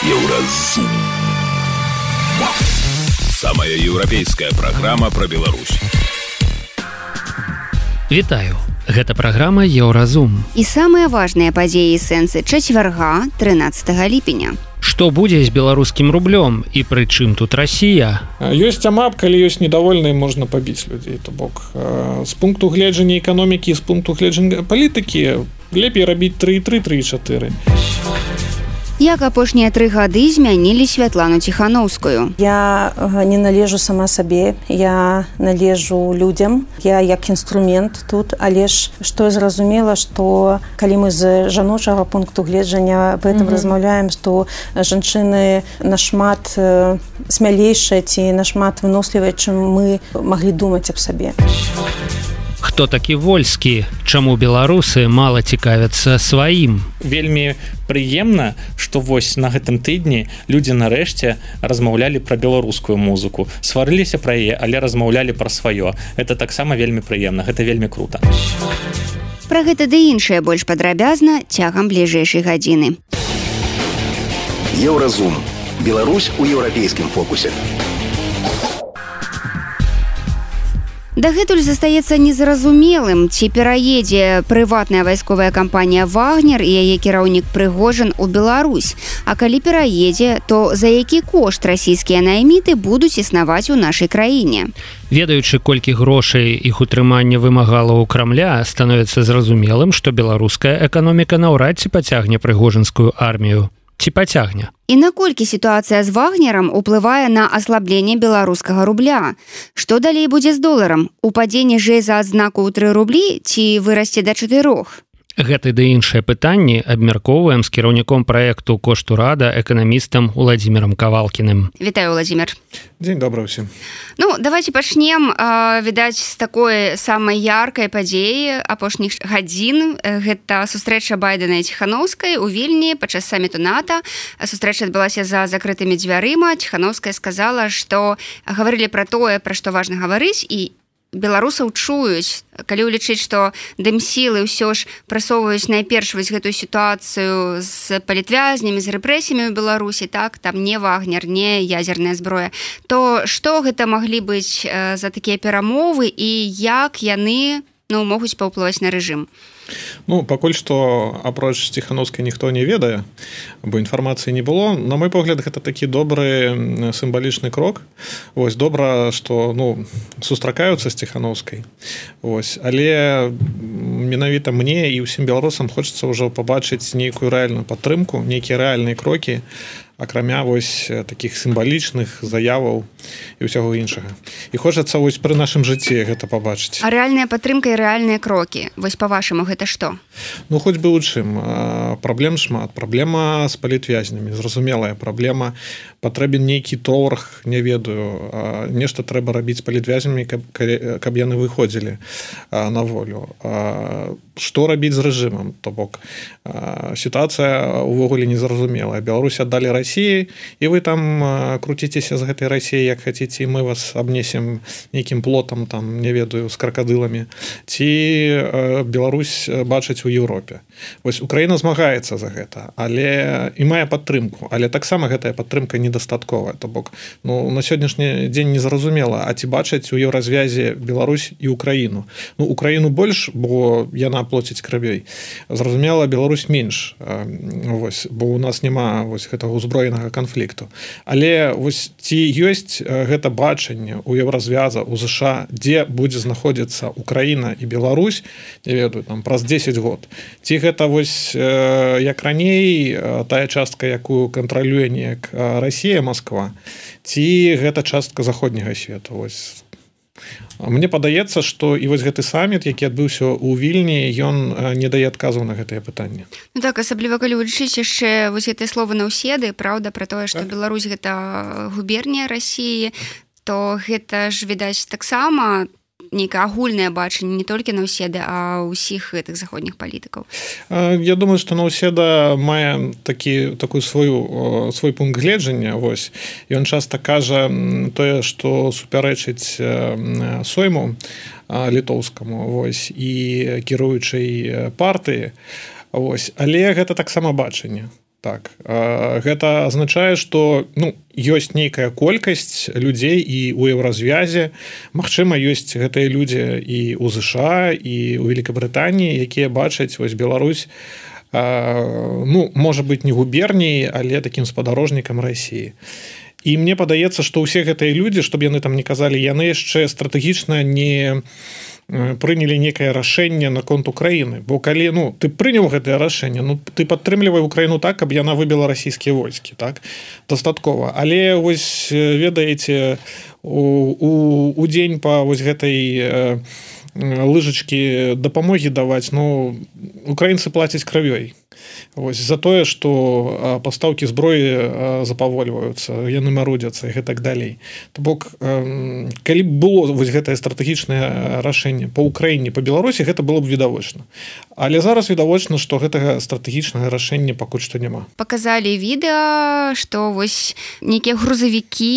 Еўразум. Самая еўрапейская праграма пра Беларусь. Вітаю. Гэта праграма Еўразум. І самыя важныя падзеі і сэнсы чацвярга 13 ліпеня. Што будзе з беларускім рублём і пры чым тут Расія? Ёсць амап, калі ёсць недовольныя, можна пабіць людзей. То бок з пункту гледжання эканомікі, з пункту гледжання палітыкі лепей рабіць 3,3, 3,4. Як апошнія 3 гады змянілі Святлану Ціхановскую? Я не належу сама сабе, я належу людзям, я як інструмент тут, але ж што я зразумела, што калі мы з жаночага пункту гледжання аб гэтым размаўляем, што жанчыны нашмат смялейшыя ці нашмат вынослівыя, чым мы маглі думаць аб сабе. Хто такі Вольскі? Чаму беларусы мала цікавяцца сваім? Вельмі прыемна, што вось на гэтым тыдні людзі нарэшце размаўлялі пра беларускую музыку. Сварыліся пра яе, але размаўлялі пра сваё. Гэта таксама вельмі прыемна, гэта вельмі крута. Пра гэта ды іншае больш падрабязна цягам бліжэйшай гадзіны. Еўразум. Беларусь у еўрапейскім фокусе. Дагэтуль застаецца незразумелым, ці пераедзе прыватная вайсковая кампанія «Вагнер» і яе кіраўнік Прыгожин у Беларусь. А калі пераедзе, то за які кошт расійскія найміты будуць існаваць у нашай краіне? Ведаючы, колькі грошай іх утрымання вымагала ў Крамля, становіцца зразумелым, што беларуская эканоміка наўрад ці пацягне прыгожинскую армію. Ці пацягне? І наколькі сітуацыя з «Вагнерам» уплывае на аслабленне беларускага рубля? Што далей будзе з доларам? Упадзе ніжэй за адзнаку ў 3 рублі ці вырасце да 4? Гэты ды іншыя пытанні абмяркоўваем з кіраўніком праекту «Кошт урада» эканамістам Уладзімірам Кавалкіным. Вітаю, Уладзімір. Дзень добры ўсім. Ну, давайте пачнем, відаць, з такой самай яркай падзеі апошніх гадзін. Гэта сустрэча Байдена і Ціхановскай у Вільні падчас саміту НАТО. Сустрэча адбылася за закрытымі дзвярыма. Ціхановская сказала, што гаварылі пра тое, пра што важна гаварыць, і беларусаў чуюць, калі ўлічыць, што дэмсілы ўсё ж прасоўваюць найперш вось гэтую сітуацыю з палітвязнямі, з рэпрэсіямі ў Беларусі, так, там не Вагнер, не ядзерная зброя, то што гэта маглі быць за такія перамовы і як яны могуць паўплываць на рэжым? Ну, пакуль што апроч Ціхановскай ніхто не ведае, бо інфармацыі не было. На мой погляд, гэта такі добры сімвалічны крок. Вось добра, што сустракаюцца з Ціхановскай. Вось, але менавіта мне і ўсім беларусам хочацца ўжо пабачыць нейкую рэальную падтрымку, нейкія рэальныя крокі, акрамя вось такіх сімвалічных заяваў і ўсяго іншага. І хочацца вось пры нашым жыцці гэта пабачыць. А рэальная падтрымка і рэальныя крокі, вось па-вашаму, гэта што? Ну, хоць бы ў чым. Праблем шмат. Праблема з палітвязнямі, зразумелая праблема. Патрэбен нейкі торг, не ведаю. Нешта трэба рабіць з палітвязнямі, каб яны выходзілі на волю. Што рабіць з рэжымам? То бок, сітуацыя ўвогуле незразумелая. Беларусь аддалі Расіі, і вы там круціцеся з гэтай Расіі, як хаціце, і мы вас абнесем нейкім плотам, там, не ведаю, з кракадыламі. Ці Беларусь бачыць у Еўропе. Вось Украіна змагаецца за гэта, але і мае падтрымку, але таксама гэтая падтрымка недастатковая. То бок, на сённяшні дзень незразумела, а ці бачаць у еўразвязе Беларусь і Украіну? Украіну больш, бо яна плоціць крывёй. Зразумела, Беларусь менш, вось, бо у нас няма вось гэтага узброенага канфлікту. Але вось ці ёсць гэта бачанне у еўразвяза, у ЗША, дзе будзе знаходзіцца Украіна і Беларусь, не ведаю, там праз 10 год. Ці гэта вось як раней тая частка, якую кантралюе неяк Расія, Масква, ці гэта частка заходняга свету. Вось. Мне падаецца, што і вось гэты саміт, які адбыўся ў Вільні, ён не дае адказаў на гэтыя пытанні. Ну так, асабліва калі ўлічыць яшчэ вось гэтыя словы Наўседы, праўда, пра тое, што Беларусь гэта губернія Расіі, то гэта ж, відаць, таксама нейкае агульнае бачанне не толькі Наўседы, а ўсіх гэтых заходніх палітыкаў. Я думаю, што Наўседа мае такой свой пункт гледжання. Вось. Ён часта кажа тое, што супярэчыць Сойму літоўскаму, вось, і кіруючай партыі. Вось. Але гэта таксама бачанне. так. Гэта азначае, што ёсць нейкая колькасць людзей і ў еўразвязе. Магчыма, ёсць гэтыя людзі і ў ЗША, і ў Великабрытаніі, якія бачаць вось Беларусь, можа быць, не губерняй, але такім спадарожнікам Расіі. І мне падаецца, што ўсе гэтыя людзі, што б яны там не казалі, яны яшчэ стратэгічна не прынялі некае рашэнне наконт Украіны, бо калі ты прыняў гэтае рашэнне, ты падтрымлівай Украіну так, каб яна выбіла расійскія войскі, так, дастаткова. Але вось ведаеце, у дзень па вось гэтай лыжачкі дапамогі даваць, украінцы плацяць крывёй. Вось, за тое, што пастаўкі зброі запавольваюцца, яны марудзяцца і гэтак далей. То бок, калі б было вось гэтае стратэгічнае рашэнне па Украіне, па Беларусі, гэта было б відавочна. Але зараз відавочна, што гэтага стратэгічнага рашэння пакуль што няма. Паказалі відэа, што вось нейкія грузавікі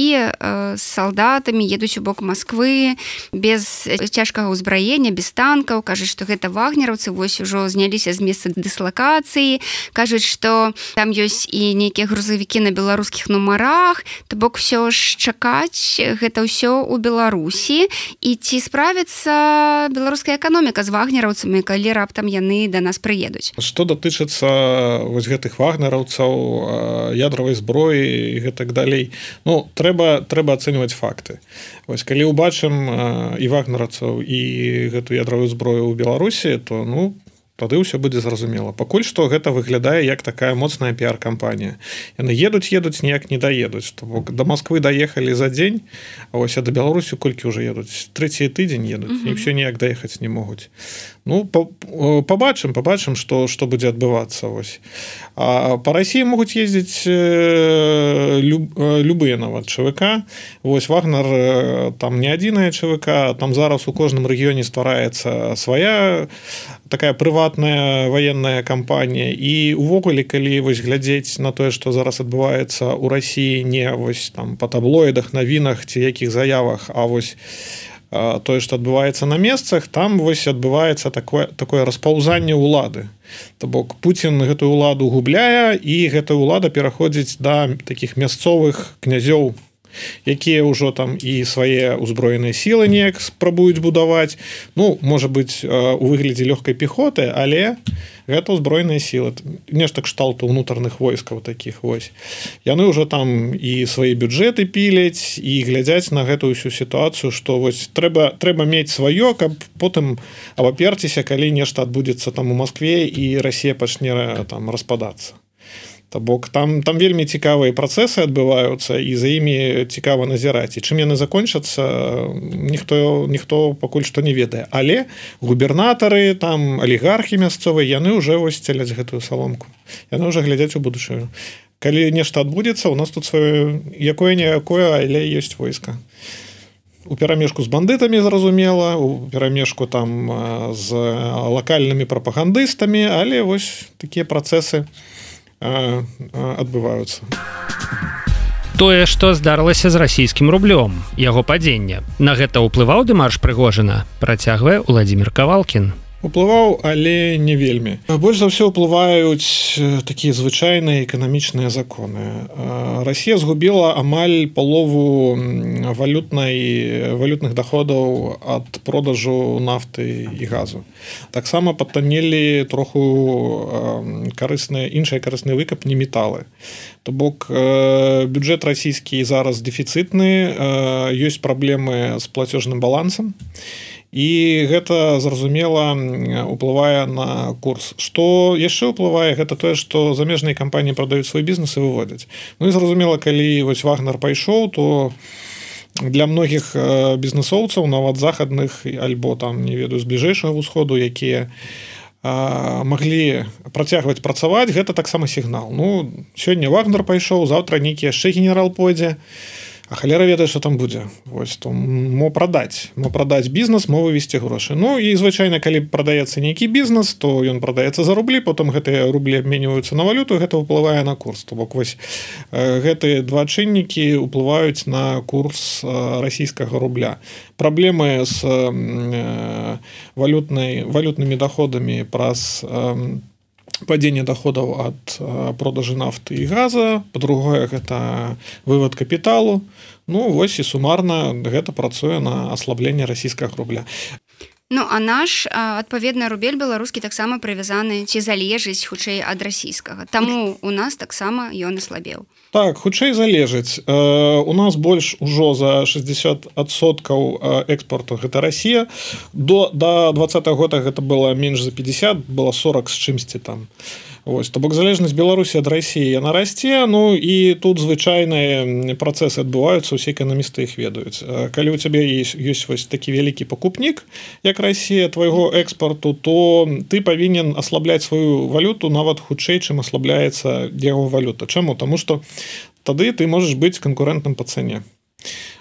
з салдатамі едуць у бок Масквы без цяжкага ўзбраення, без танкаў, кажуць, што гэта вагнераўцы вось ужо зняліся з месца дыслакацыі, кажуць, што там ёсць і нейкія грузавікі на беларускіх нумарах, то бок усё ж чакаць гэта ўсё ў Беларусі. І ці справіцца беларуская эканоміка з вагнераўцамі, калі раптам яны да нас прыедуць? Што датычыцца вось гэтых вагнераўцаў, ядравай зброі і гэтак далей, трэба ацэньваць факты. Вось калі ўбачым і вагнераўцаў, і гэту ядравую зброю ў Беларусі, то тады ўсё будзе зразумела. Пакуль што гэта выглядае як такая моцная піар-кампанія. Яны едуць, ніяк не даедуць. То бок да Масквы даехалі за дзень, а вось да Беларусі колькі ўжо едуць? Трэці тыдзень едуць, і ўсё ніяк даехаць не могуць. Пабачым, што будзе адбывацца. Вось. А па Расіі могуць ездзіць любыя нават ЧВК. Вось Вагнер там не адзіная ЧВК, там зараз у кожным рэгіёне ствараецца свая такая прыватная ваенная кампанія. І увогуле, калі вось глядзець на тое, што зараз адбываецца ў Расіі, не вось там па таблоідах, навінах ці якіх заявах, а вось тое, што адбываецца на месцах, там вось адбываецца такое распаўзанне ўлады. То бок Пуцін гэтую ўладу губляе, і гэтая ўлада пераходзіць да такіх мясцовых князёў, якія ўжо там і свае ўзброеныя сілы неяк спрабуюць будаваць. Можа быць, у выглядзе лёгкай пехоты, але гэта ўзброеныя сілы. Нешта кшталту ўнутраных войскаў такіх вось. Яны ўжо там і свае бюджэты піляць, і глядзяць на гэтую ўсю сітуацыю, што вось трэба мець сваё, каб потым абаперціся, калі нешта адбудзецца там у Маскве, і Расія пачне там распадацца. То бок там вельмі цікавыя працэсы адбываюцца, і за імі цікава назіраць. І чым яны закончацца, ніхто пакуль што не ведае. Але губернатары, там алігархі мясцовыя, яны ўжо вось целяць гэтую саломку. Яны ўжо глядзяць у будучыню. Калі нешта адбудзецца, у нас тут сваё якое-ніякое, але ёсць войска. У перамешку з бандытамі, зразумела, у перамешку там з лакальнымі прапагандыстамі, але вось такія працэсы адбываюцца. Тое, што здарылася з расійскім рублём, яго падзенне, на гэта ўплываў дэмарш Прыгожына, працягвае Уладзімір Кавалкін. Уплываў, але не вельмі. Больш за ўсё ўплываюць такія звычайныя эканамічныя законы. Расія згубіла амаль палову валютных даходаў ад продажу нафты і газу. Таксама падтаннелі троху іншыя карысныя выкапні металы. То бок бюджэт расійскі зараз дэфіцытны, ёсць праблемы з плацежным балансам. І гэта, зразумела, уплывае на курс. Што яшчэ ўплывае, гэта тое, што замежныя кампаніі прадаюць свой бізнес і выводзяць. І, зразумела, калі вось Вагнер пайшоў, то для многіх бізнесоўцаў, нават захадных, альбо там, не ведаю, з бліжэйшага ўсходу, якія маглі працягваць працаваць, гэта таксама сігнал. Сёння Вагнер пайшоў, заўтра нейкі яшчэ генерал пойдзе, а халера ведае, што там будзе. Вось, то мо прадаць бізнес, мо вывесці грошы. І звычайна, калі прадаецца нейкі бізнес, то ён прадаецца за рублі, потым гэтыя рублі абменьваюцца на валюту, гэта ўплывае на курс. То бок вось гэтыя два чыннікі ўплываюць на курс расійскага рубля. Праблемы з валютнымі даходамі праз падзенне доходаў ад продажы нафты і газа, па-другое гэта вывод капіталу. Ну вось і сумарна гэта працуе на аслабленне расійскага рубля. Ну а наш адпаведна рубель беларускі таксама прывязаны ці залежыць хутчэй ад расійскага. Таму у нас таксама ён аслабеў. Так, хутчэй залежыць. У нас больш ужо за 60% экспорту гэта Расія. До 2020 года гэта было менш за 50, было 40 з чымсьці там. Вось, то бок залежнасць Беларусі ад Расіі яна расце, ну і тут звычайныя працэсы адбываюцца, усе эканамісты іх ведаюць. Калі у цябе ёсць вось такі вялікі пакупнік, як Расія твайго экспарту, то ты павінен аслабляць сваю валюту нават хутчэй, чым аслабляецца яго валюта. Чаму? Таму што тады ты можаш быць канкурэнтным па цане.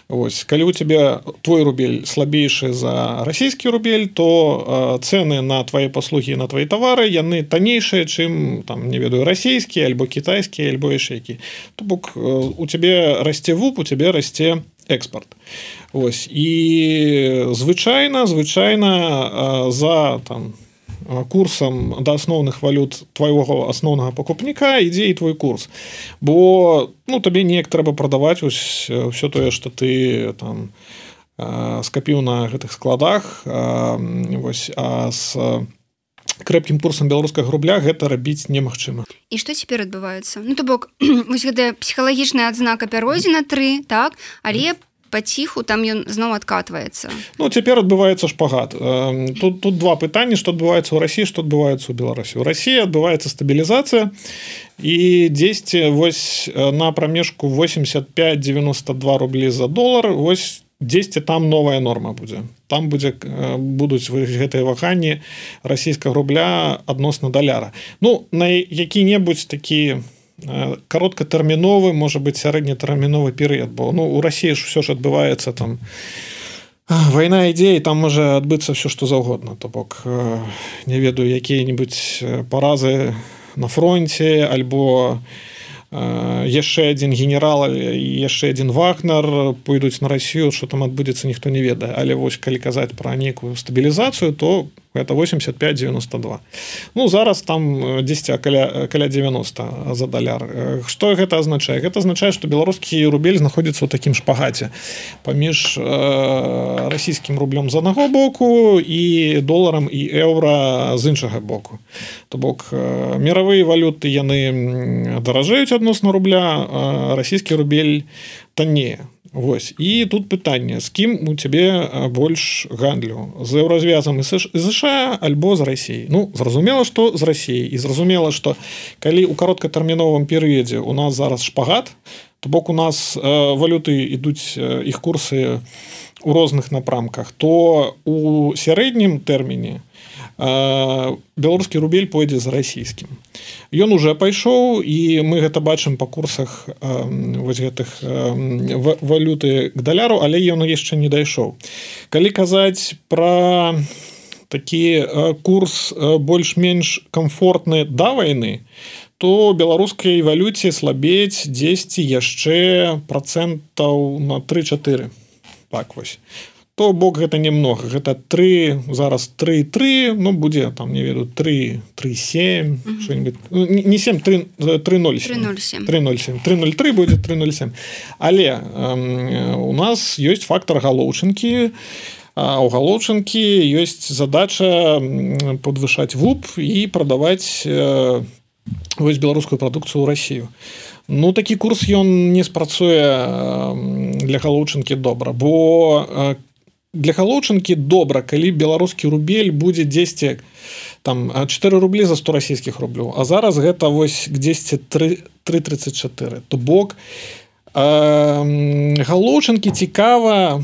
Ось, калі у тебя твой рубель слабейшы за расійскі рубель, то цэны на твои паслугі, на твои тавары, яны таннейшыя, чым там, не ведаю, расійскія альбо кітайскія, альбо яшчэ які. То бок у тебе расце ВУП, у тебе расце экспорт. Ось, і звычайна за там курсам да асноўных валют твайго асноўнага пакупніка ідзе і твой курс. Бо ну, табе неяк трэба прадаваць ўсё тое, што ты там скапіў на гэтых складах, вось, а з крэпкім курсам беларускага рубля гэта рабіць немагчыма. І што цяпер адбываецца? Ну то бок вось гэтая псіхалагічная адзнака пяройдзена 3, так, але паціху там ён зноў адкатваецца. Ну цяпер адбываецца шпагат. Тут два пытанні, што адбываецца ў Расіі, што адбываецца ў Беларусі. У Расіі адбываецца стабілізацыя і дзесьці вось на прамежку 85-92 рублі за долар, вось дзесьці там новая норма будзе. Там будуць гэтыя ваганні расійскага рубля адносна даляра. Ну на які-небудзь такі кароткатэрміновы, можа быць сярэднетэрміновы перыяд, бо ну у Расіі ж ўсё ж адбываецца там вайна ідзе, і там можа адбыцца ўсё што заўгодна. То бок не ведаю, якія-небудзь паразы на фронце альбо яшчэ адзін генерал і яшчэ адзін Вагнер пойдуць на Расію, што там адбудзецца, ніхто не ведае. Але вось калі казаць пра нейкую стабілізацыю, то гэта 85-92. Ну, зараз там 10 каля 90 за даляр. Што гэта азначае? Гэта азначае, што беларускі рубель знаходзіцца ў такім шпагаце паміж расійскім рублём з аднаго боку і доларам і еўра з іншага боку. То бок міравыя валюты яны даражэюць адносна рубля, расійскі рубель таннее. Вось. І тут пытанне, з кім у цябе больш гандлю? З еўразвязам і США альбо з Расіяй? Ну, зразумела, што з Расіяй. І зразумела, што калі ў кароткатэрміновым перыядзе у нас зараз шпагат, то бок у нас валюты ідуць, іх курсы у розных напрамках, то у сярэднім тэрміне беларускі рубель пойдзе за расійскім. Ён уже пайшоў, і мы гэта бачым па курсах вось гэтых валюты к даляру, але ён яшчэ не дайшоў. Калі казаць пра такі курс больш-менш камфортны да вайны, то беларускай валюце слабець дзесьці яшчэ процентаў на 3-4. Так вось. То бок гэта немного, гэта 3, зараз 3,3, ну будзе там, не ведаю, 3,7, что-нибудь, не 7, 3,07. 3,03 будзе 3,07. Але у нас ёсць фактор галоўчынкі, а у галоўчынкі ёсць задача падвышаць ВУП і прадаваць вось беларускую прадукцыю ў Расію. Ну, такі курс ён не спрацуе для галоўчынкі добра, бо для галоўчынкі добра, калі беларускі рубель будзе дзесьці там 4 рублі за 100 расійскіх рублёў, а зараз гэта вось дзесьці 3,34. То бок галоўчынкі цікава,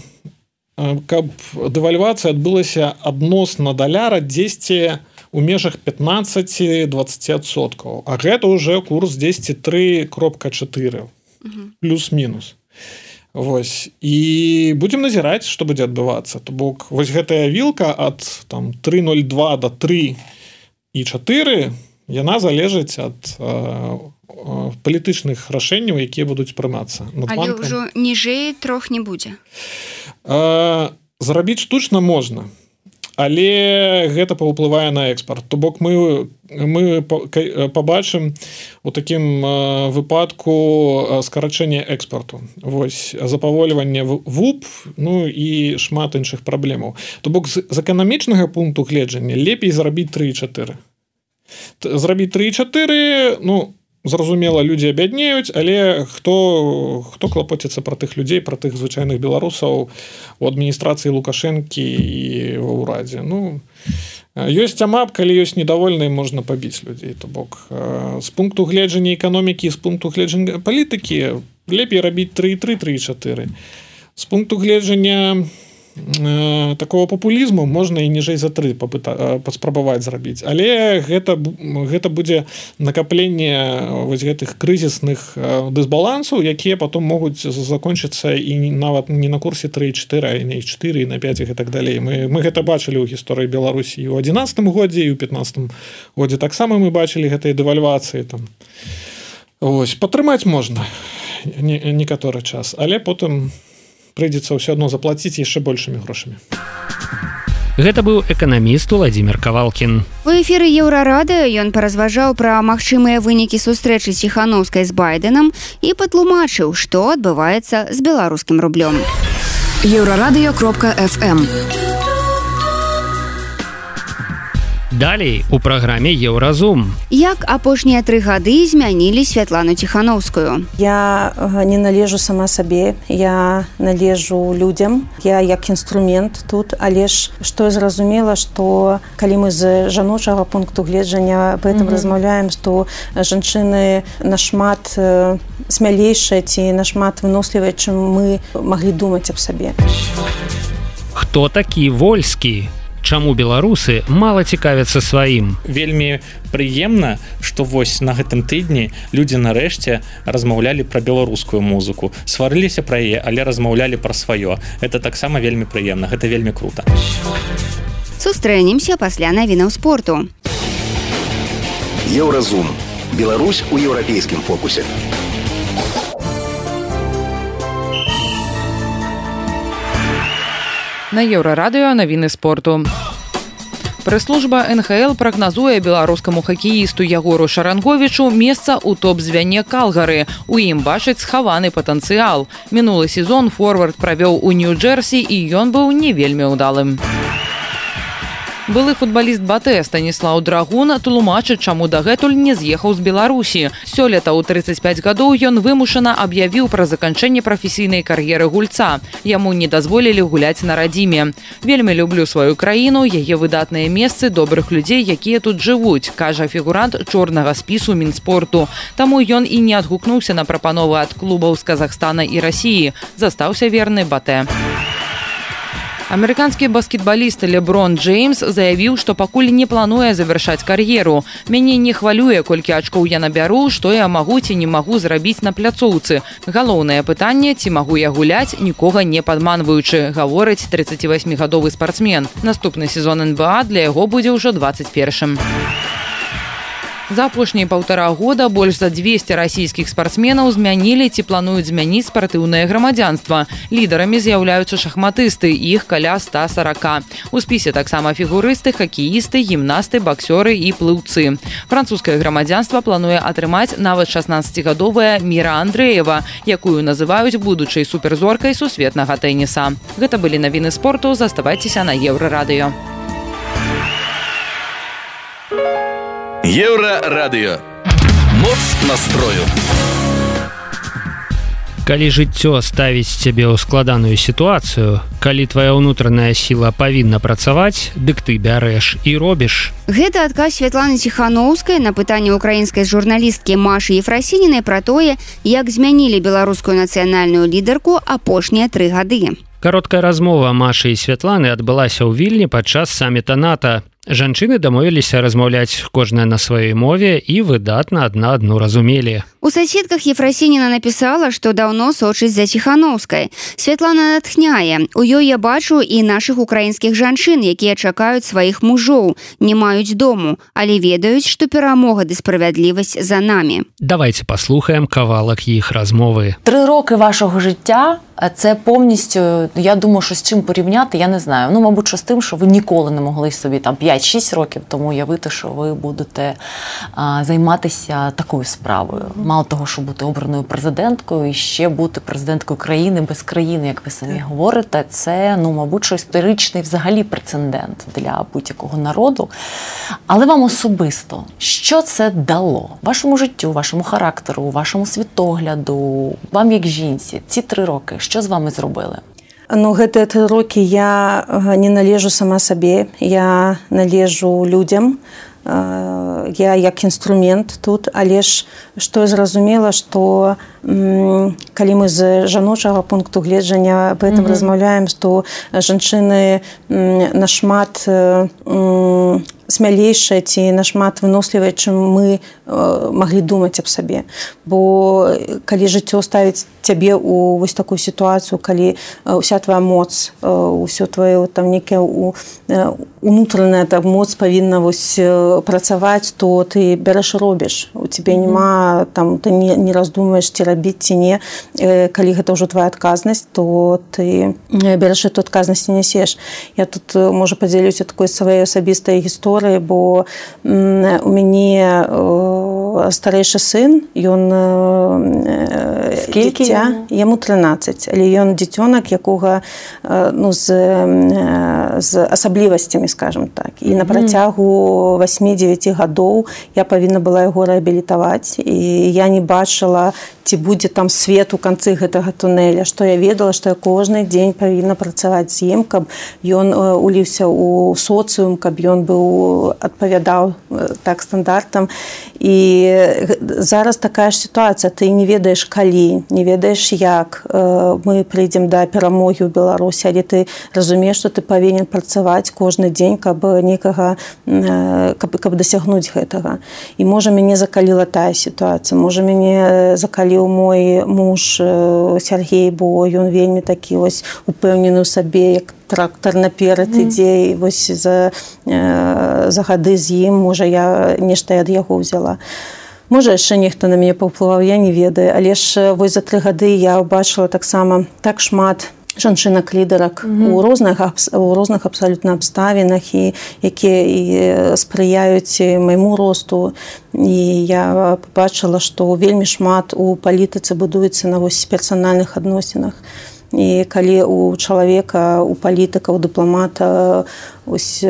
каб дэвальвацыя адбылася адносна даляра дзесьці у межах 15-20%. А гэта ўжэ курс дзесьці 3,4 плюс-мінус. Вось. І будзем назіраць, што будзе адбывацца. То бок вось гэтая вілка ад там 3,02 до 3,4 яна залежыць ад палітычных рашэнняў, якія будуць прымацца. Але ўжо ніжэй 3 не будзе. Зрабіць штучна можна. але гэта паўплывае на экспорт. То бок мы побачым у такім выпадку скарачэння экспорту. Вось запавольванне ВУП, ну і шмат іншых праблемаў. То бок з эканамічнага пункту гледжання лепей зрабіць 3,4. Зрабіць 3,4, ну, зразумела, людзі абяднеюць, але хто клапоціцца пра тых людзей, пра тых звычайных беларусаў у адміністрацыі Лукашэнкі і ва ўрадзе. Ну, ёсць амап, калі ёсць недовольныя, можна пабіць людзей. То бок з пункту гледжання эканомікі, з пункту гледжання палітыкі лепей рабіць 3,3, 3,4. З пункту гледжання такого папулізму можна і ніжэй за 3 паспрабаваць зрабіць, але гэта будзе накапленне вось гэтых крызісных дысбалансаў, якія потом могуць закончыцца і нават не на курсе 3,4, а не 4 і на 5 і так далей. Мы гэта бачылі ў гісторыі Беларусі і ў 11 годзе, і ў 15 годзе таксама мы бачылі гэтыя дэвальвацыі там. Ось, падтрымаць можна некаторы час, але потым прыйдзецца ўсё адно заплаціць яшчэ большымі грошамі. Гэта быў эканаміст Владзімир Кавалкін. У эфіры Еўрарадыё ён паразважаў пра магчымыя вынікі сустрэчы Ціханаўскай з Байденам і патлумачыў, што адбываецца з беларускім рублём. Еўрарадыё.фм. Далей у праграме Еўразум. Як апошнія 3 гады змянілі Святлану Ціханаўскую? Я не належу сама сабе, я належу людзям, я як інструмент тут, але ж што я зразумела, што калі мы з жаночага пункту гледжання аб гэтым размаўляем, што жанчыны нашмат смялейшыя ці нашмат вынослівыя, чым мы маглі думаць аб сабе. Хто такі Вольскі? Чаму беларусы мала цікавяцца сваім? Вельмі прыемна, што вось на гэтым тыдні людзі нарэшце размаўлялі пра беларускую музыку. Сварыліся пра яе, але размаўлялі пра сваё. Гэта таксама вельмі прыемна, гэта вельмі крута. Сустрэнемся пасля навінаў спорту. Еўразум. Беларусь у еўрапейскім фокусе. На Еўрарадыё навіны спорту. Прэс-служба НХЛ прагназуе беларускаму хакеісту Ягору Шаранговічу месца ў топ-звяне Калгары. У ім бачыць схаваны патэнцыял. Мінулы сезон форвард правёў у Нью-Джерсі і ён быў не вельмі ўдалым. Былы футбаліст БАТЭ Станіслаў Драгун тлумачыць, чаму дагэтуль не з'ехаў з Беларусі. Сёлета ў 35 гадоў ён вымушана аб'явіў пра заканчэнне прафесійнай кар'еры гульца. Яму не дазволілі гуляць на радзіме. Вельмі люблю сваю краіну, яе выдатныя месцы, добрых людзей, якія тут жывуць, кажа фігурант чорнага спісу Мінспорту. Таму ён і не адгукнуўся на прапановы ад клубаў з Казахстана і Расіі. Застаўся верны БАТЭ. Амерыканскі баскетбаліст Леброн Джеймс заявіў, што пакуль не плануе завяршаць кар'еру. Мяне не хвалюе, колькі ачкоў я набяру, што я магу ці не магу зрабіць на пляцоўцы. Галоўнае пытанне, ці магу я гуляць, нікога не падманваючы, гаворыць 38-гадовы спартсмен. Наступны сезон НБА для яго будзе ўжо 21-м. За апошнія 1,5 года больш за 200 расійскіх спартсменаў змянілі ці плануюць змяніць спартыўнае грамадзянства. Лідарамі з'яўляюцца шахматысты, іх каля 140. У спісе таксама фігурысты, хакеісты, гімнасты, баксёры і плыўцы. Французскае грамадзянства плануе атрымаць нават 16-гадовая Міра Андрэева, якую называюць будучай суперзоркай сусветнага тэніса. Гэта былі навіны спорту, заставайцеся на Еўрарадыё. Еўрарадыё. Моц настрою. Калі жыццё ставіць цябе ў складаную сітуацыю, калі твая ўнутраная сіла павінна працаваць, дык ты бярэш і робіш. Гэта адказ Святланы Ціханаўскай на пытанне украінскай журналісткі Машы Ефрасінінай пра тое, як змянілі беларускую нацыянальную лідарку апошнія 3 гады. Кароткая размова Машы і Святланы адбылася ў Вільні падчас саміта НАТО. Жанчыны дамовіліся размаўляць кожная на сваёй мове і выдатна адна адну разумелі. У соседках Ефросиніна написала, што даўно сочыць за Ціханаўскай. Святлана натхняе. У ёй я бачу і нашых украінскіх жанчын, якія чакаюць сваіх мужоў, не маюць дому, але ведаюць, што перамога ды справядлівасць за намі. Давайте паслухаем кавалак іх размовы. 3 роки вашого життя Це повністю, я думаю, що з чим порівняти, я не знаю. Ну, мабуть, що з тим, що ви ніколи не могли собі там 5-6 років тому уявити, що ви будете займатися такою справою. Мало того, що бути обраною президенткою, і ще бути президенткою країни без країни, як ви самі говорите, це, ну, мабуть, що історичний взагалі прецедент для будь-якого народу. Але вам особисто, що це дало вашому життю, вашому характеру, вашому світогляду, вам як жінці, ці 3 роки? Що з вами зробили? Ну, гэтыя 3 рокі я не належу сама сабе, я належу людям, я як інструмент тут, але ж што я зразумела, што калі мы з жаночага пункту гледжання об этом размаўляем, што жанчыны нашмат смялейшая ці нашмат вынослівая, чым мы маглі думаць аб сабе. Бо калі жыццё ставіць цябе ў вось такую сітуацыю, калі ўся твоя моц, ўсё твоё там некая унутраная там моц павінна вось працаваць, то ты бярэш і робіш. У цябе няма там, ты не раздумваеш, ці рабіць, ці не. Калі гэта ўжо твоя адказнасць, то ты бярэш эту адказнасць і нясеш. Я тут, можа, падзялюся такой сваёй асабістай гісторыяй, бо у мяне старэйшы сын, ён дзіця, яму 13, але ён дзіцёнак, якога ну, з асаблівасцямі, скажем так. І на працягу 8-9 гадоў я павінна была яго рэабілітаваць, і я не бачыла, ці будзе там свет у канцы гэтага тунэля, што я ведала, што я кожны дзень павінна працаваць з ім, каб ён уліўся ў соцыум, каб ён быў адпавядаў так стандартам. І зараз такая ж сітуацыя, ты не ведаеш калі, не ведаеш як мы прыйдзем да перамогі ў Беларусі, але ты разумееш, што ты павінен працаваць кожны дзень, каб некага, каб дасягнуць гэтага. І можа мяне закаліла тая сітуацыя, можа мяне закаліў мой муж Сергей, бо ён вельмі такі вось упэўнены ў сабе, як трактор наперад ідзе, і вось за гады з ім, можа, я нешта ад яго ўзяла. Можа, яшчэ нехта на мяне паўплываў, я не ведаю, але ж вось за 3 гады я ўбачыла таксама так шмат жанчынак-лідарак у розных абсалютна абставінах, і якія і спрыяюць майму росту. І я побачыла, што вельмі шмат у палітыцы будуецца на вось персанальных адносінах. І калі у чалавека, у палітыка, у дыпламата ось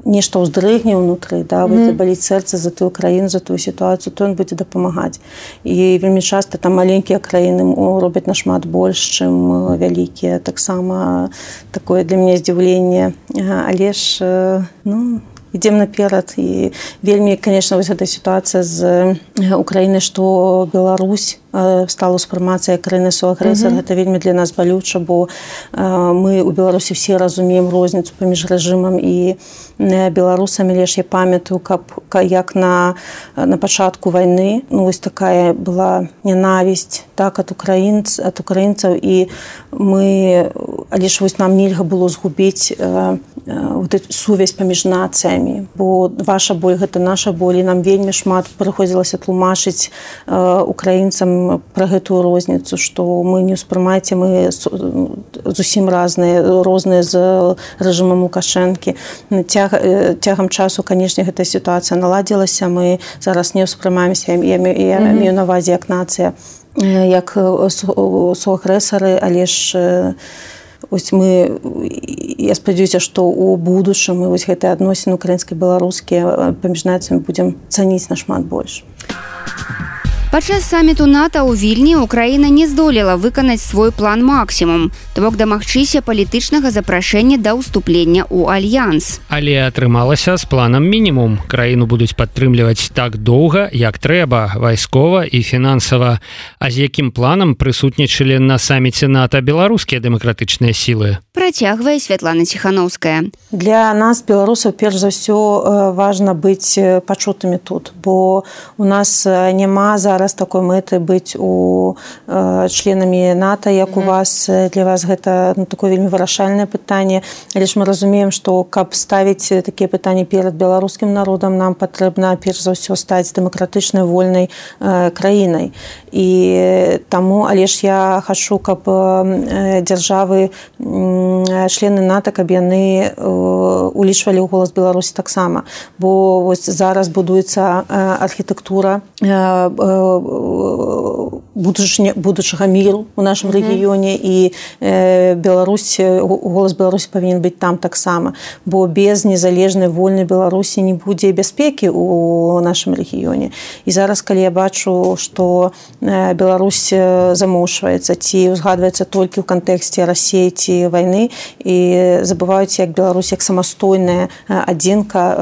нешта ўздрыгне ўнутры, да, забаліць сэрца за тую краіну, за тую сітуацыю, то ён будзе дапамагаць. І вельмі часта там маленькія краіны робяць нашмат больш, чым вялікія. Таксама такое для мяне здзіўленне. Але ж, ну, ідзем наперад. І вельмі, конечно, вось гэта сітуацыя з Украінай, што Беларусь стала ўспрымацца як краіна-суагрэсар. Гэта вельмі для нас балюча, бо мы ў Беларусі все разумеем розніцу паміж рэжымам і беларусамі. Лишь я памятаю, як на пачатку вайны, ну, вось такая была ненавісць, так, ад украінцаў, і мы, але ж вось нам нельга было згубіць вот эту сувязь паміж нацыямі, бо ваша боль гэта наша боль, і нам вельмі шмат прыходзілася тлумачыць украінцам пра гэтую розніцу, што мы не ўспрымаеце, мы зусім розныя з рэжымам Лукашэнкі. Цягам часу, канешне, гэтая сітуацыя наладзілася, мы зараз не ўспрымаемся, я маю на ўвазе як нацыя, як суагрэсары, але ж ось мы, я спадзяюся, што ў будучым мы вось гэтыя адносіны украінска-беларускія паміж нацыямі будзем цаніць нашмат больш. Падчас саміту НАТО ў Вільні Украіна не здолела выканаць свой план максімум, то бок дамагчыся палітычнага запрашэння да ўступлення ў альянс. Але атрымалася з планам мінімум. Краіну будуць падтрымліваць так доўга, як трэба, вайскова і фінансава. А з якім планам прысутнічалі на саміце НАТО беларускія дэмакратычныя сілы? Працягвае Святлана Ціханаўская. Для нас, беларусаў, перш за ўсё важна быць пачутымі тут, бо у нас няма зараз зараз такой мэты быць у членамі НАТО, як у вас. Для вас гэта такое вельмі вырашальнае пытанне. Але ж мы разумеем, што каб ставіць такія пытанні перад беларускім народам, нам патрэбна перш за ўсё стаць дэмакратычнай, вольнай краінай. І таму, але ж я хачу, каб дзяржавы, члены НАТО, каб яны улічвалі ў голас Беларусі таксама. Бо вось зараз будуецца архітэктура будучага міру ў нашым рэгіёне, і Беларусь, голас Беларусі павінен быць там таксама. Бо без незалежнай, вольнай Беларусі не будзе бяспекі ў нашым рэгіёне. І зараз, калі я бачу, што Беларусь замоўчваецца ці узгадваецца толькі ў кантэксце Расіі ці вайны, і забываюць, як Беларусь як самастойная адзінка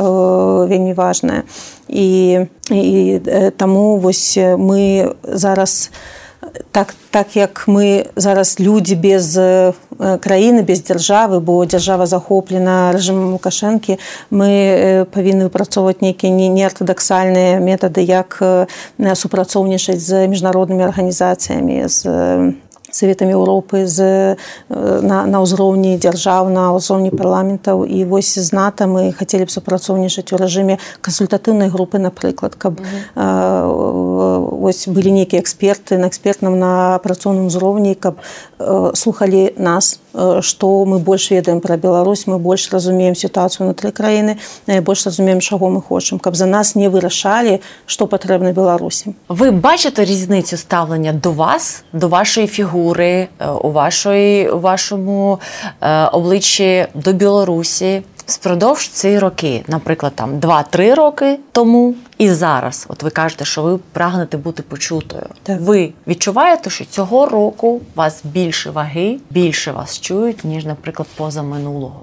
вельмі важная. І таму вось мы зараз так як мы зараз людзі без краіны, без дзяржавы, бо дзяржава захоплена рэжымам Лукашэнкі, мы павінны выпрацоўваць нейкія неартадаксальныя метады, як супрацоўнічаць з міжнароднымі арганізацыямі, з Советамі Еўропы, на ўзроўні дзяржаў, на ўзроўні парламентаў. І вось з НАТО мы хацелі б супрацоўнічаць у рэжыме кансультатыўнай групы, напрыклад, каб вось былі нейкія эксперты на экспертным, на працоўным узроўні, каб слухалі нас, што мы больш ведаем пра Беларусь, мы больш разумеем сітуацыю ўнутры краіны, больш разумеем, чаго мы хочам, каб за нас не вырашалі, што патрэбна Беларусі. Ви бачите різницю ставлення до вас, до вашої фігури, у вашому обличчі до Білорусі впродовж ці роки, наприклад, там 2-3 роки тому і зараз? От ви кажете, що ви прагнете бути почутою. Так. Ви відчуваєте, що цього року у вас більше ваги, більше вас чують, ніж, наприклад, позаминулого?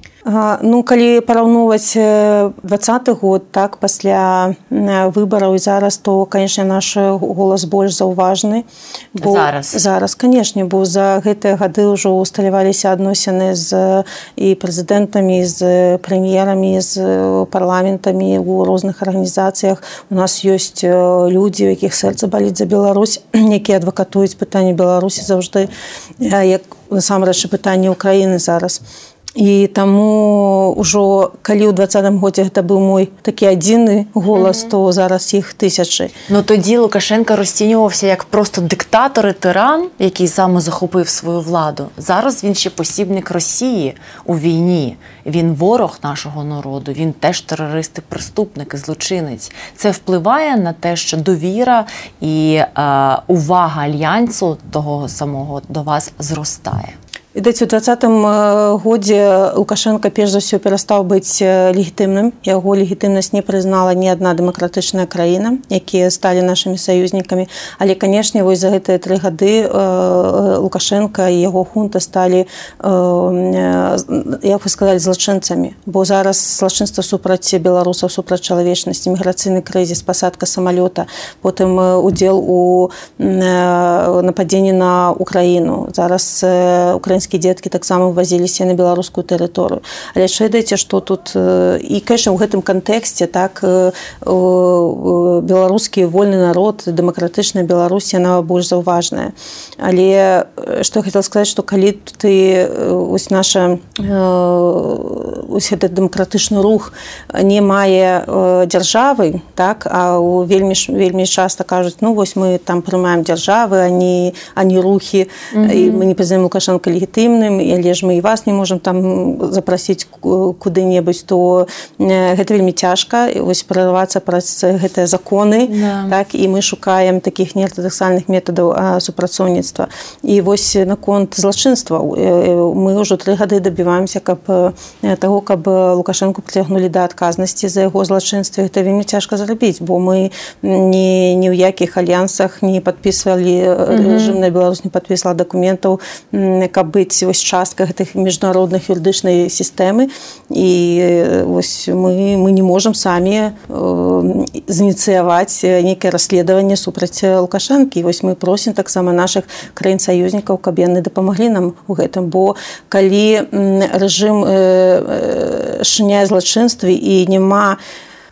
Ну, калі параўноўваць 20-й год, так, пасля выбараў і зараз, то, канешне, наш голас больш заўважны. Зараз, канешне, бо за гэтыя гады ўжо усталяваліся адносіны з і прэзідэнтамі, з прэм'ерамі, з парламентамі ў розных арганізацыях. У нас ёсць людзі, у якіх сэрца баліць за Беларусь, якія адвакатуюць пытанне Беларусі заўжды, як насамрэч пытанне Украіны зараз. І таму ўжо, калі ў 20-м годзе гэта быў мой такі адзіны голас, то зараз іх тисячі. Ну тоді Лукашенко розцінювався як просто диктатор і тиран, який саме захопив свою владу. Зараз він ще посібник Росії у війні. Він ворог нашого народу, він теж терорист і преступник, і злочинець. Це впливає на те, що довіра і увага Альянсу того самого до вас зростає. Відаць, у 20-м годзе Лукашенко перш за ўсё перастаў быць легітымным. Яго легітымнасць не прызнала ні адна дэмакратычная краіна, якія сталі нашымі саюзнікамі. Але, канешне, вось за гэтыя 3 гады Лукашенко і яго хунта сталі, як вы сказалі, злачынцамі. Бо зараз злачынства супраць беларусаў, супраць чалавечнасці, міграцыйны крызіс, пасадка самалёта, потым удзел у нападзенні на Украіну. Зараз украінскія дзеткі таксама вывазіліся на беларускую тэрыторыю. Але ж ведаеце, што тут і, конечно, у гэтым кантэксце, так, беларускі вольны народ, дэмакратычная Беларусь, яна больш заўважная. Але што я хацела сказаць, што калі ты ось наша ось гэты дэмакратычны рух не мае дзяржавы, так, а вельмі часта кажуць, ну вось мы там прымаем дзяржавы, а не рухі, і мы не прызнаем Лукашенко легітымным, але ж мы і вас не можам там запрасіць куды-небудзь, то гэта вельмі цяжка вось прарывацца праз гэтыя законы, так, і мы шукаем такіх неартадаксальных метадаў супрацоўніцтва. І вось наконт злачынства мы ўжо 3 гады дабіваемся таго, каб Лукашенку прыцягнулі да адказнасці за яго злачынстве. Гэта вельмі цяжка зрабіць, бо мы ні ў якіх альянсах не падпісвалі, рэжымная Беларусь не падпісвала дакументаў, каб быць вось часткай гэтых міжнародных юрыдычнай сістэмы. І вось мы не можам самі зініцыяваць нейкае расследаванне супраць Лукашэнкі. І вось мы просім таксама нашых краін-саюзнікаў, каб яны дапамаглі нам у гэтым. Бо калі рэжым шыняе злачынствы і няма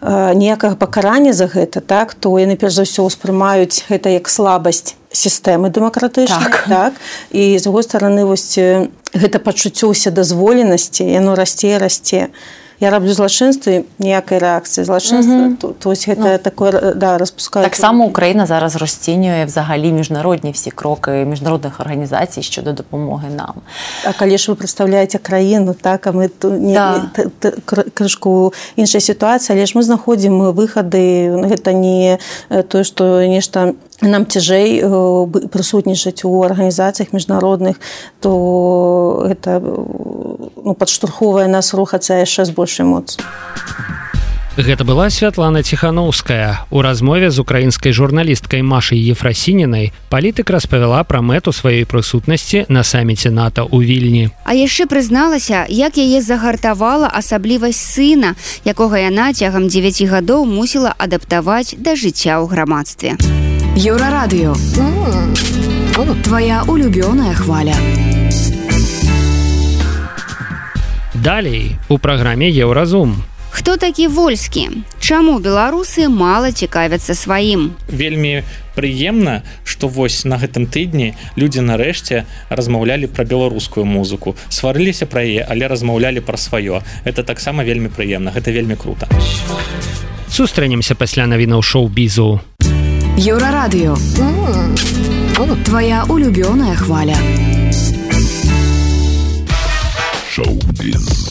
ніякага пакарання за гэта, так, то яны перш за ўсё ўспрымаюць гэта як слабасць сістэмы дэмакратычнай, так, і з другой стороны вось гэта пачуццё ўседазволенасці, яно расце і расце. Я раблю злачынствы, ніякай рэакцыі злачынства, то есть гэта такое, да, распускаюць. Так само Україна зараз розцінює взагалі міжнародні всі кроки міжнародних організацій щодо допомоги нам. А калі ж ви представляєте країну, так, а ми крышку іншай ситуації, але ж ми знаходимо виходи, гэта не то, што нешта нам цяжэй прысутнічаць у арганізацыях міжнародных, то гэта падштурхоўвае нас рухацца яшчэ з большай моцу. Гэта была Святлана Ціхановская. У размове з украінскай журналісткай Машай Ефрасінінай палітык распавяла пра мэту сваёй прысутнасці на саміце НАТО ў Вільні. А яшчэ прызналася, як яе загартавала асаблівасць сына, якога яна цягам 9 гадоў мусіла адаптаваць да жыцця ў грамадстве. Еўрарадыё. Твоя улюбёная хваля. Далей у праграме Еўразум. Хто такі Вольскі? Чаму беларусы мала цікавяцца сваім? Вельмі прыемна, што вось на гэтым тыдні людзі нарэшце размаўлялі пра беларускую музыку. Сварыліся пра яе, але размаўлялі пра сваё. Это таксама вельмі прыемна, гэта вельмі крута. Сустрэнемся пасля навінаў шоу-бізу. Еўрарадыё. Твоя улюбёная хваля. Шоу-біз.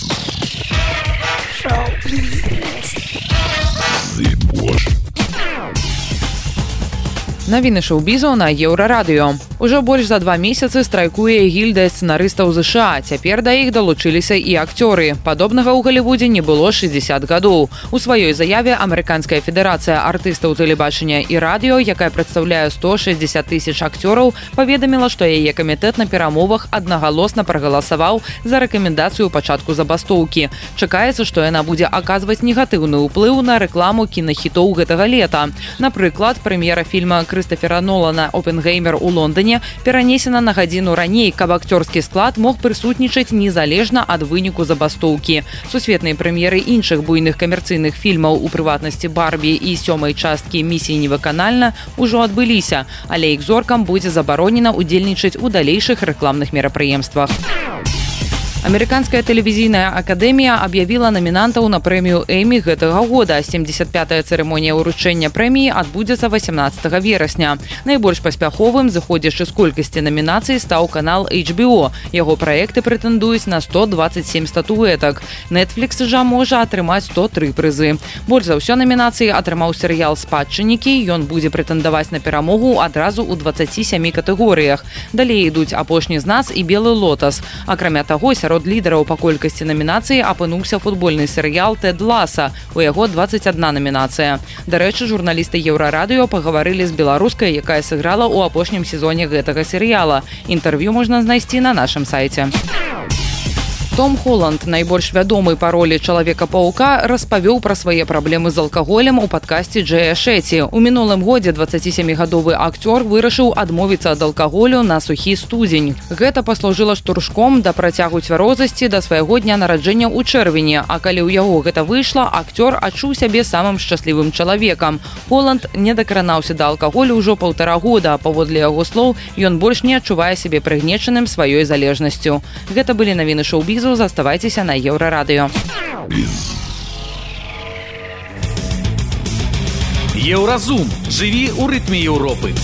Навіны шоу-бізу на Еўрарадыё. Ужо больш за 2 месяцы страйкуе гільдыя сцэнарыстаў ЗША. Цяпер да іх далучыліся і акцёры. Падобнага ў Галівудзе не было 60 гадоў. У сваёй заяве Амерыканская федэрацыя артыстаў тэлебачання і радыё, якая прадстаўляе 160 тысяч акцёраў, паведаміла, што яе камітэт на перамовах аднагалосна прагаласаваў за рэкамендацыю пачатку забастоўкі. Чакаецца, што яна будзе аказваць негатыўны ўплыў на рэкламу кінахітоў гэтага лета. Напрыклад, прэм'ера фільма Крыстафера Нолана «Опенгеймер» у Лондоне перанесена на гадзіну раней, каб акцёрскі склад мог прысутнічаць незалежна ад выніку забастоўкі. Сусветныя прэм'еры іншых буйных камерцыйных фільмаў, у прыватнасці «Барбі» і 7-й часткі «Місіі невыканальна» ужо адбыліся, але іх зоркам будзе забаронена ўдзельнічаць у далейшых рэкламных мерапрыемствах. Амерыканская тэлевізійная акадэмія аб'явіла намінантаў на прэмію Эмі гэтага года. 75-я цырымонія ўручэння прэміі адбудзецца 18 верасня. Найбольш паспяховым, зыходзячы з колькасці намінацый, стаў канал HBO. Яго праекты прэтэндуюць на 127 статуэтак. Netflix жа можа атрымаць 103 прызы. Больш за ўсё намінацыі атрымаў серыял «Спадчыннікі». Ён будзе прэтэндаваць на перамогу адразу ў 27 катэгорыях. Далей ідуць «Апошні з нас» і «Белы лотас». Акрамя таго, сярод лідараў па колькасці намінацый апынуўся футбольны серыял «Тэд Ласа». У яго 21 намінацыя. Дарэчы, журналісты Еўрарадыё пагаварылі з беларускай, якая сыграла ў апошнім сезоне гэтага серыяла. Інтэрв'ю можна знайсці на нашым сайце. Том Холланд, найбольш вядомы па ролі Чалавека-паўка, распавёў пра свае праблемы з алкаголем у падкасці Джэя Шэці. У мінулым годзе 27-гадовы акцёр вырашыў адмовіцца ад алкаголю на сухі студзень. Гэта паслужыла штуршком да працягу цвярозасці да свайго дня нараджэння ў чэрвені, а калі ў яго гэта выйшла, акцёр адчуў сябе самым шчаслівым чалавекам. Холланд не дакранаўся да алкаголю ўжо 1,5 года, а паводле яго слоў, ён больш не адчувае сябе прыгнечаным сваёй залежнасцю. Гэта былі навіны шоу-бізу. Заставайцеся на Еўрарадыё. Еўразум. Жыві ў рытме Еўропы.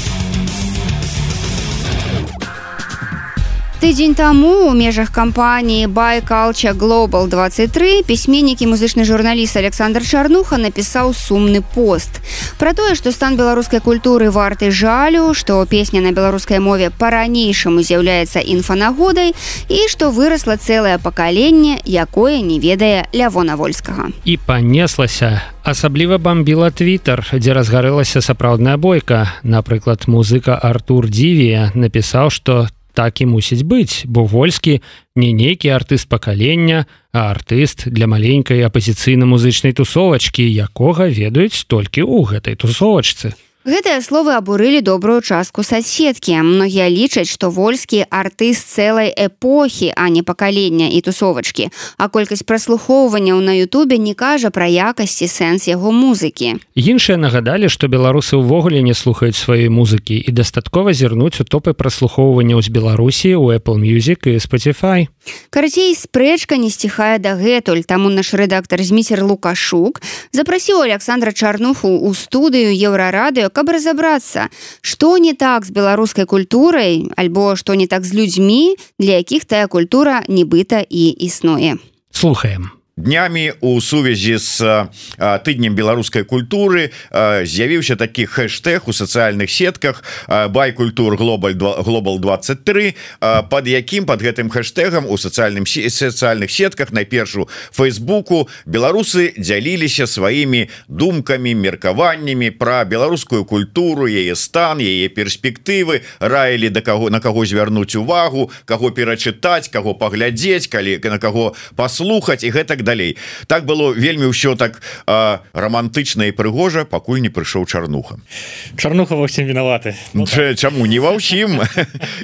Тыдзень таму ў межах кампаніі Buy Culture Global 23 пісьменнік і музычны журналіст Александр Чарнуха напісаў сумны пост пра тое, што стан беларускай культуры варты жалю, што песня на беларускай мове па-ранейшаму з'яўляецца інфанагодай і што вырасла цэлае пакаленне, якое не ведае Лявона Вольскага. І панеслася. Асабліва бамбіла Твіттер, дзе разгарэлася сапраўдная бойка. Напрыклад, музыка Артур Дзівія напісаў, што так і мусіць быць, бо Вольскі не нейкі артыст пакалення, а артыст для маленькай апазіцыйна-музычнай тусовачкі, якога ведаюць толькі ў гэтай тусовачцы. Гэтыя словы абурылі добрую частку соцсеткі. Многія лічаць, што Вольскі артыст цэлай эпохі, а не пакалення і тусовачкі. А колькасць праслухоўванняў на Ютубе не кажа пра якасць і сэнс яго музыкі. Іншыя нагадалі, што беларусы ўвогуле не слухаюць сваёй музыкі і дастаткова зірнуць у топы праслухоўванняў з Беларусі ў Apple Music і Spotify. Карацей, спрэчка не сціхае дагэтуль, таму наш рэдактар Зміцер Лукашук запрасіў Александра Чарнуху ў студыю Еўрарадыё, каб разабрацца, што не так з беларускай культурай, альбо што не так з людзьмі, для якіх тая культура нібыта і існуе. Слухаем. Днямі у сувязі з тыднем беларускай культуры з'явіўся такі хэштэг у сацыяльных сетках байкультур Global 23, под гэтым хэштэгам у сацыяльных сетках, найперш у Фейсбуку, беларусы дзяліліся сваімі думкамі, меркаваннямі пра беларускую культуру, яе стан, яе перспектывы, раілі на каго звярнуць увагу, каго перачытаць, каго паглядзець, на каго паслухаць і гэтак далей. Так было вельмі ўсё так романтычна і прыгожа, пакуль не прыйшоў Чарнуха. Чарнуха ва ўсім вінаваты. Чаму не ва ўсім?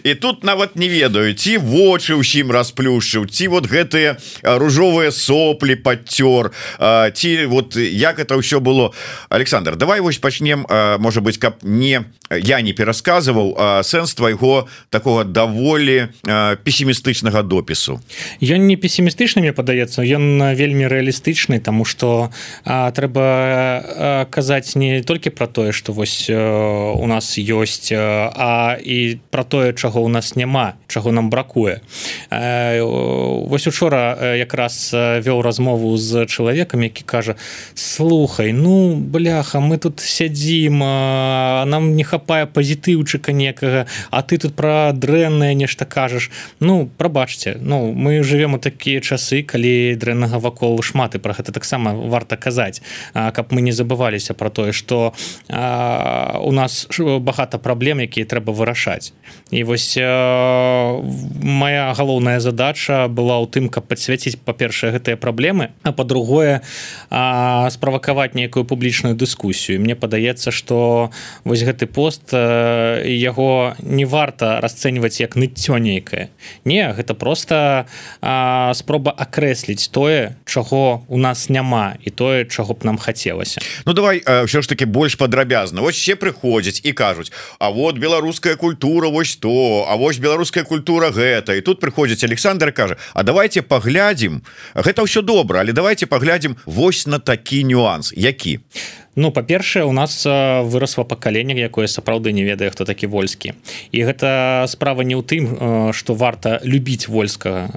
І тут нават не ведаю, ці вочы ўсім расплюшчыў, ці вот гэтыя ружовыя соплі падцёр, ці вот як это ўсё было. Александр, давай вось пачнем, можа быць, каб я не перасказываў сэнс твайго такога даволі песімістычнага допісу. Ён не песімістычны, мне падаецца, ён вельмі рэалістычны, таму што трэба казаць не толькі пра тое, што вось у нас ёсць, а і пра тое, чаго ў нас няма, чаго нам бракуе. Вось учора якраз вёў размову з чалавекам, які кажа: слухай, ну бляха, мы тут сядзім, нам не хапае пазітыўчыка некага, а ты тут пра дрэннае нешта кажаш. Ну, прабачце, мы жывем у такія часы, калі дрэннага вакол шмат, і пра гэта таксама варта казаць, каб мы не забываліся пра тое, што у нас багата праблем, якія трэба вырашаць. І вось моя галоўная задача была ў тым, каб падсвяціць, па-першае, гэтыя праблемы, а па-другое, справакаваць нейкую публічную дыскусію. Мне падаецца, што вось гэты пост, яго не варта расцэньваць як ныццё нейкае. Не, гэта проста спроба акрэсліць тое, чаго у нас няма, і тое, чаго б нам хацелася. Ну давай ўсё ж таки больш падрабязна. Вось все прыходзяць і кажуць: а вот беларуская культура вось то, а вось беларуская культура гэта. І тут прыходзіць Александр і кажа: а давайте паглядзім, гэта ўсё добра, але давайте паглядзім вось на такі нюанс. Які? Ну, па-першае, у нас вырасла пакаленне, якое сапраўды не ведае, хто такі Вольскі. І гэта справа не ў тым, што варта любіць Вольскага.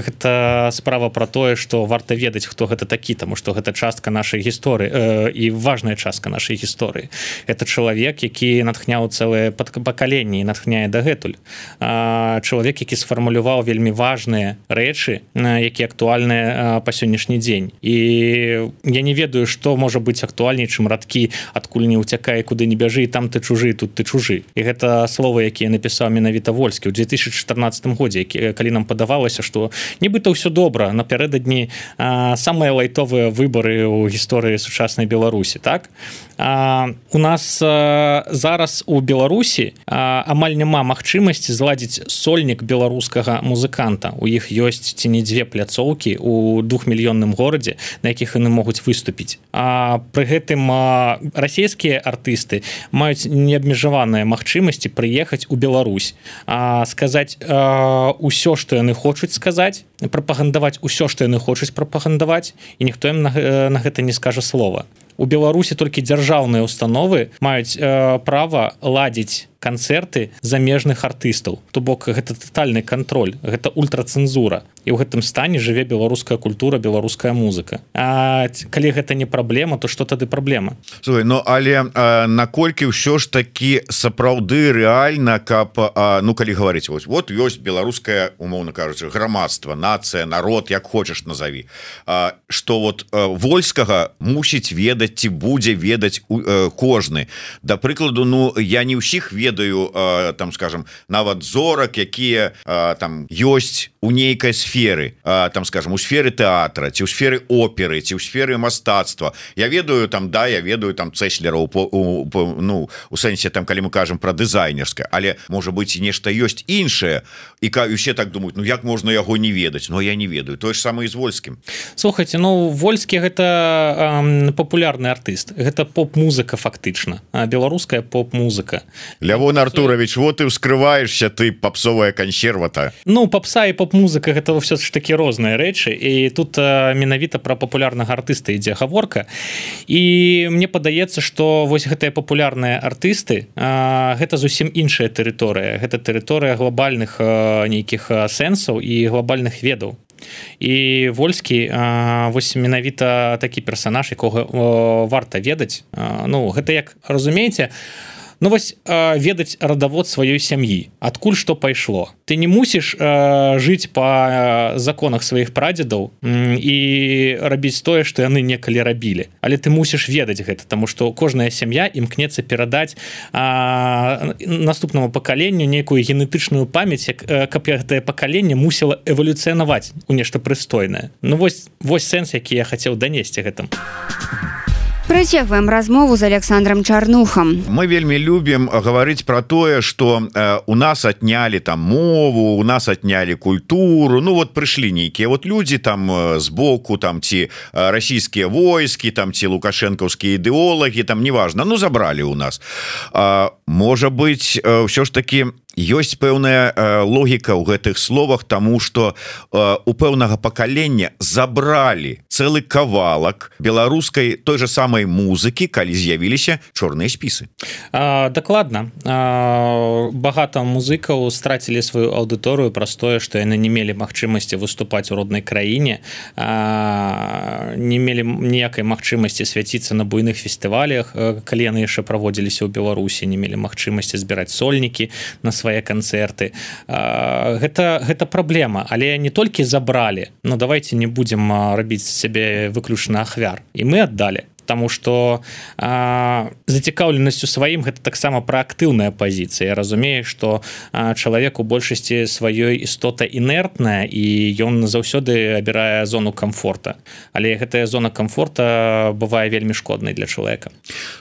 Гэта справа пра тое, што варта ведаць, хто гэта такі, таму што гэта частка нашай гісторыі і важная частка нашай гісторыі. Гэта чалавек, які натхняў цэлае пакаленне і натхняе дагэтуль. Чалавек, які сфармуляваў вельмі важныя рэчы, якія актуальныя па сённяшні дзень. І я не ведаю, што можа быць актуальней, чым радкі адкуль не ўцякае, куды не бяжы, і там ты чужы, тут ты чужы. І гэта словы, якія напісаў менавіта Вольскі ў 2014 годзе, калі нам падавалася, што нібыта ўсё добра, напярэдадні самыя лайтовыя выбары ў гісторыі сучаснай Беларусі, так? У нас зараз у Беларусі амаль няма магчымасці зладзіць сольнік беларускага музыканта. У іх ёсць ці не дзве пляцоўкі ў 2-мільённым горадзе, на якіх яны могуць выступіць. Пры гэтым расійскія артысты маюць неабмежаваныя магчымасці прыехаць у Беларусь, сказаць усё, што яны хочуць сказаць, прапагандаваць усё, што яны хочуць прапагандаваць, і ніхто ім на гэта не скажа слова. У Беларусі толькі дзяржаўныя установы маюць права ладзіць канцэрты замежных артыстаў. То бок гэта татальны кантроль, гэта ультрацэнзура. І ў гэтым стане жыве беларуская культура, беларуская музыка. А калі гэта не праблема, то што тады праблема? Слухай, ну але наколькі ўсё ж такі сапраўды рэальна, каб калі гаварыць, вот ёсць беларуская, умоўна кажучы, грамадства, нацыя, народ, як хочаш назаві, што вот Вольскага мусіць ведаць ці будзе ведаць кожны. Да прыкладу, я не ўсіх ведаю ведаю там скажем нават зорак якія там ёсць у нейкай сферы там скажем у сферы тэатра ці ў сферы оперы ці ў сферы мастацтва я ведаю там я ведаю там цэслераў ну у сэнсе там калі мы кажам про дызайнерскае але можа быть і нешта ёсць іншае і усе так думаюць ну як можна яго не ведаць но я не ведаю тое ж самае з Вольскім. Слухайте, ну Вольскі гэта папулярны артыст гэта поп-музыка фактычна беларуская поп-музыка. Лявон Артурович вот ты ўскрываешься ты попсовая консервата. Ну попса і поп-музыка гэта ўсё ж такі розныя рэчы і тут менавіта про папулярнага артыста ідзе гаворка і мне падаецца что вось гэтыя папулярныя артысты гэта зусім іншая тэрыторыя гэта тэрыторыя глобальных нейкіх сэнсаў і глобальных ведаў і Вольскі вось менавіта такі персанаж якога варта ведаць ну гэта як разумееце ну вось ведаць радавод сваёй сям'і адкуль што пайшло ты не мусіш жыць па законах сваіх прадзедаў і рабіць тое што яны некалі рабілі але ты мусіш ведаць гэта таму што кожная сям'я імкнецца перадаць наступнаму пакаленню нейкую генетычную памяць каб гэтае пакаленне мусіла эвалюцыянаваць у нешта прыстойнае ну вось сэнс які я хацеў данесці гэтым. Працягваем размову з Александром Чарнухам. Мы вельмі любім гаварыць про тое, што у нас отнялі там мову, у нас отнялі культуру. Ну вот прыйшлі нейкія вот людзі там збоку там ці расійскія войскі, там ці лукашэнкаўскія ідэолагі, там неважна, ну забралі у нас. Можа быць, ўсё ж такі ёсць пэўная логіка ў гэтых словах, таму што у пэўнага пакалення забралі цэлы кавалак беларускай той же самай музыкі, калі з'явіліся чорныя спісы. Дакладна. Багата музыкаў страцілі сваю аўдыторыю праз тое, што яны не мелі магчымасці выступаць у роднай краіне, не мелі ніякай магчымасці свяціцца на буйных фестывалях, калі яны яшчэ праводзіліся ў Беларусі, не мелі магчымасці збіраць сольнікі на свае канцэрты. Гэта праблема, але не толькі забралі, но давайте не будзем рабіць сябе выключна ахвяр. І мы аддалі. Таму што зацікаўленасць у сваім гэта таксама праактыўная пазіцыя. Я разумею, што чалавек у большасці сваёй істота інертная і ён заўсёды абірае зону камфорта. Але гэтая зона камфорта бывае вельмі шкоднай для чалавека.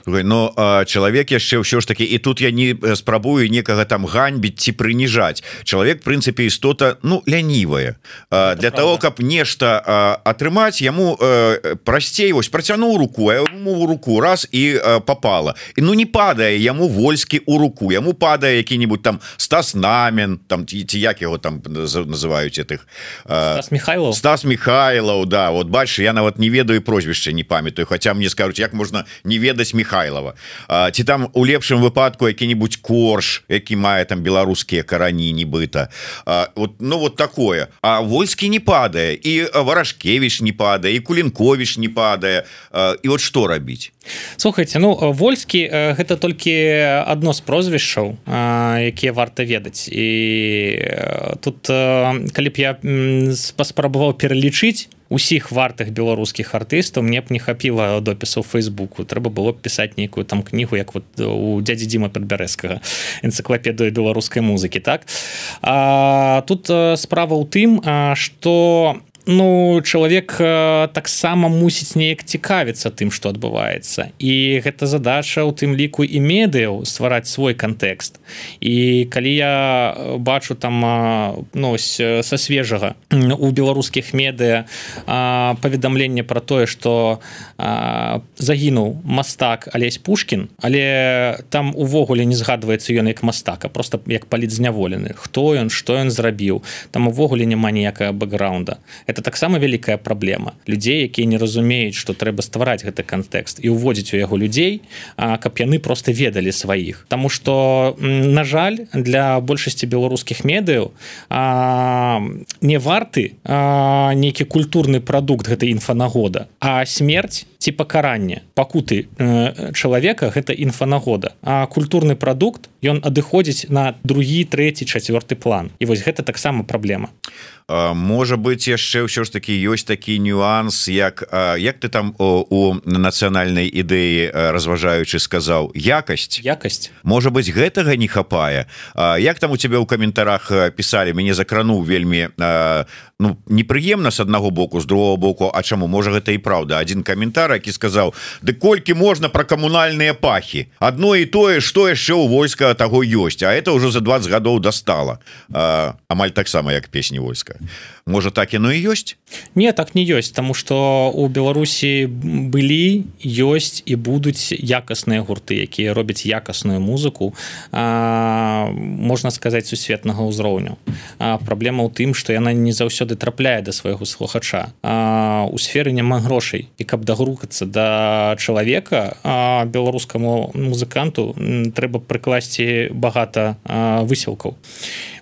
Но чалавек яшчэ ўсё ж такі, і тут я не спрабую некага там ганьбіць ці прыніжаць. Чалавек, в прынцыпе, істота, ну, лянівая. Для того, каб нешта атрымаць, яму прасцей, вось, працянуў руку, ему в руку раз и попало. И ну не падае яму Вольскі у руку, яму падае які-нибудь там Стас Намін, там ці як его там называюць этих Стас Михайлов, да, вот бачиш, я нават не ведаю прозвішча, не памятаю, хотя мне скажуць, як можна не ведаць Михайлова. Ці там у лепшым выпадку які-нибудь Корж, які мае там беларускія карані нібыта. Вот, ну вот такое. А Вольскі не падае, і Варашкевіч не падае, і Кулінковіч не падае. І вот што рабіць? Слухайте, ну Вольскі гэта толькі адно з прозвішчаў, якія варта ведаць. І тут калі б я паспрабаваў пералічыць усіх вартых беларускіх артыстаў, мне б не хапіла допісу ў Фейсбуку. Трэба было б пісаць нейкую там кнігу, як вот у дядзі Дзіма Падбярэзкага, энцыклапедыю беларускай музыкі, так? Тут справа ў тым, што ну, чалавек таксама мусіць неяк цікавіцца тым, што адбываецца. І гэта задача ў тым ліку і медыяў ствараць свой кантэкст. І калі я бачу там ну, са свежага у беларускіх медыа паведамленне пра тое, што загінуў мастак Алесь Пушкін, але там увогуле не згадваецца ён як мастак, а проста як палітзняволены. Хто ён, што ён зрабіў. Там увогуле няма ніякага бэкграунда. Это таксама вялікая праблема. Людзей, якія не разумеюць, што трэба ствараць гэты кантэкст і ўводзіць у яго людзей, каб яны проста ведалі сваіх. Таму што, на жаль, для большасці беларускіх медыяў не варты нейкі культурны прадукт гэтай інфанагода, а смерць ці пакаранне, пакуты чалавека гэта інфанагода. А культурны прадукт, ён адыходзіць на другі, трэці, чацвёрты план. І вось гэта таксама праблема. можа быть яшчэ ўсё ж таки ёсць такі нюанс як ты там у нацыянальнай ідэі разважаючы сказаў якасць можа быть гэтага не хапае як там у тебя ў каментарах пісалі мяне закрануў вельмі непрыемна с аднаго боку з другого боку а чаму можа гэта і праўда один каментар які сказаў ды колькі можна про камунальныя пахі одно і тое что яшчэ у войска таго ёсць а это ўжо за 20 гадоў достала амаль таксама як песні войска можа так яно і ёсць не так не ёсць тому что у Беларусі былі ёсць і будуць якасныя гурты якія робяць якасную музыку можна сказаць сусветнага ўзроўню праблема ў тым что яна не заўсёды трапляе да свайго слухача у сферы няма грошай і каб дагрукацца да чалавека беларускаму музыканту трэба прыкласці багата высілкаў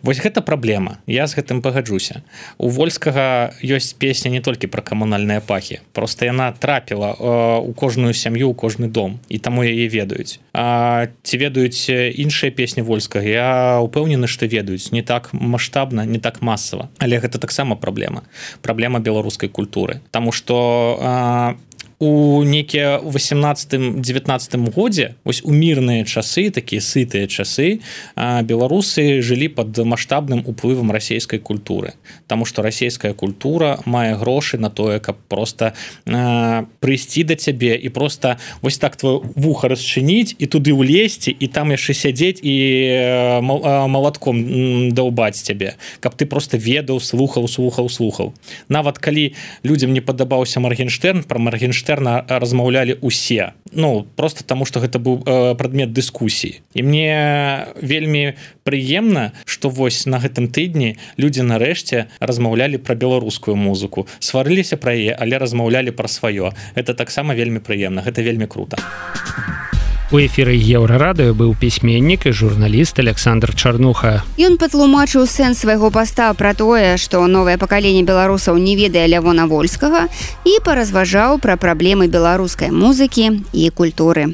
вось гэта праблема я з гэтым пагаджуся у Вольскага ёсць песня не толькі пра камунальныя пахі просто яна трапіла у кожную сям'ю у кожны дом і таму яе ведаюць ці ведаюць іншыя песні Вольскага я упэўнены што ведаюць не так маштабна не так масава але гэта таксама праблема беларускай культуры таму што у некія 18-19 годзе вось у мірныя часы такія сытыя часы беларусы жылі под маштабным уплывам расійскай культуры таму што расійская культура мае грошы на тое каб просто прыйсці да цябе і просто вось так твоё вуха расчыніць і туды ўлезці і там яшчэ сядзець і малатком даўбаць цябе каб ты просто ведаў слухаў нават калі людзям не падабаўся Маргенштерн про Маргенштерн размаўлялі усе просто таму што гэта быў прадмет дыскусіі і мне вельмі прыемна што вось на гэтым тыдні людзі нарэшце размаўлялі пра беларускую музыку сварыліся пра яе але размаўлялі пра сваё это таксама вельмі прыемна гэта вельмі круто У эфіры Еўрарадыё быў пісьменнік і журналіст Александр Чарнуха. Ён патлумачыў сэнс свайго паста пра тое, што новае пакаленне беларусаў не ведае Лявона Вольскага і паразважаў пра праблемы беларускай музыкі і культуры.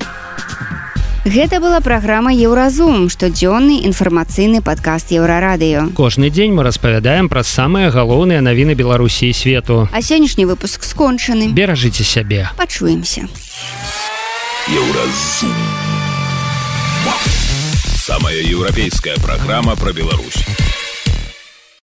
Гэта была праграма Еўразум, штодзённы інфармацыйны падкаст Еўрарадыё. Кожны дзень мы распавядаем пра самыя галоўныя навіны Беларусі і свету. А сённяшні выпуск скончаны. Беражыце сябе. Пачуемся. Еўразум. Самая еўрапейская программа про Беларусь.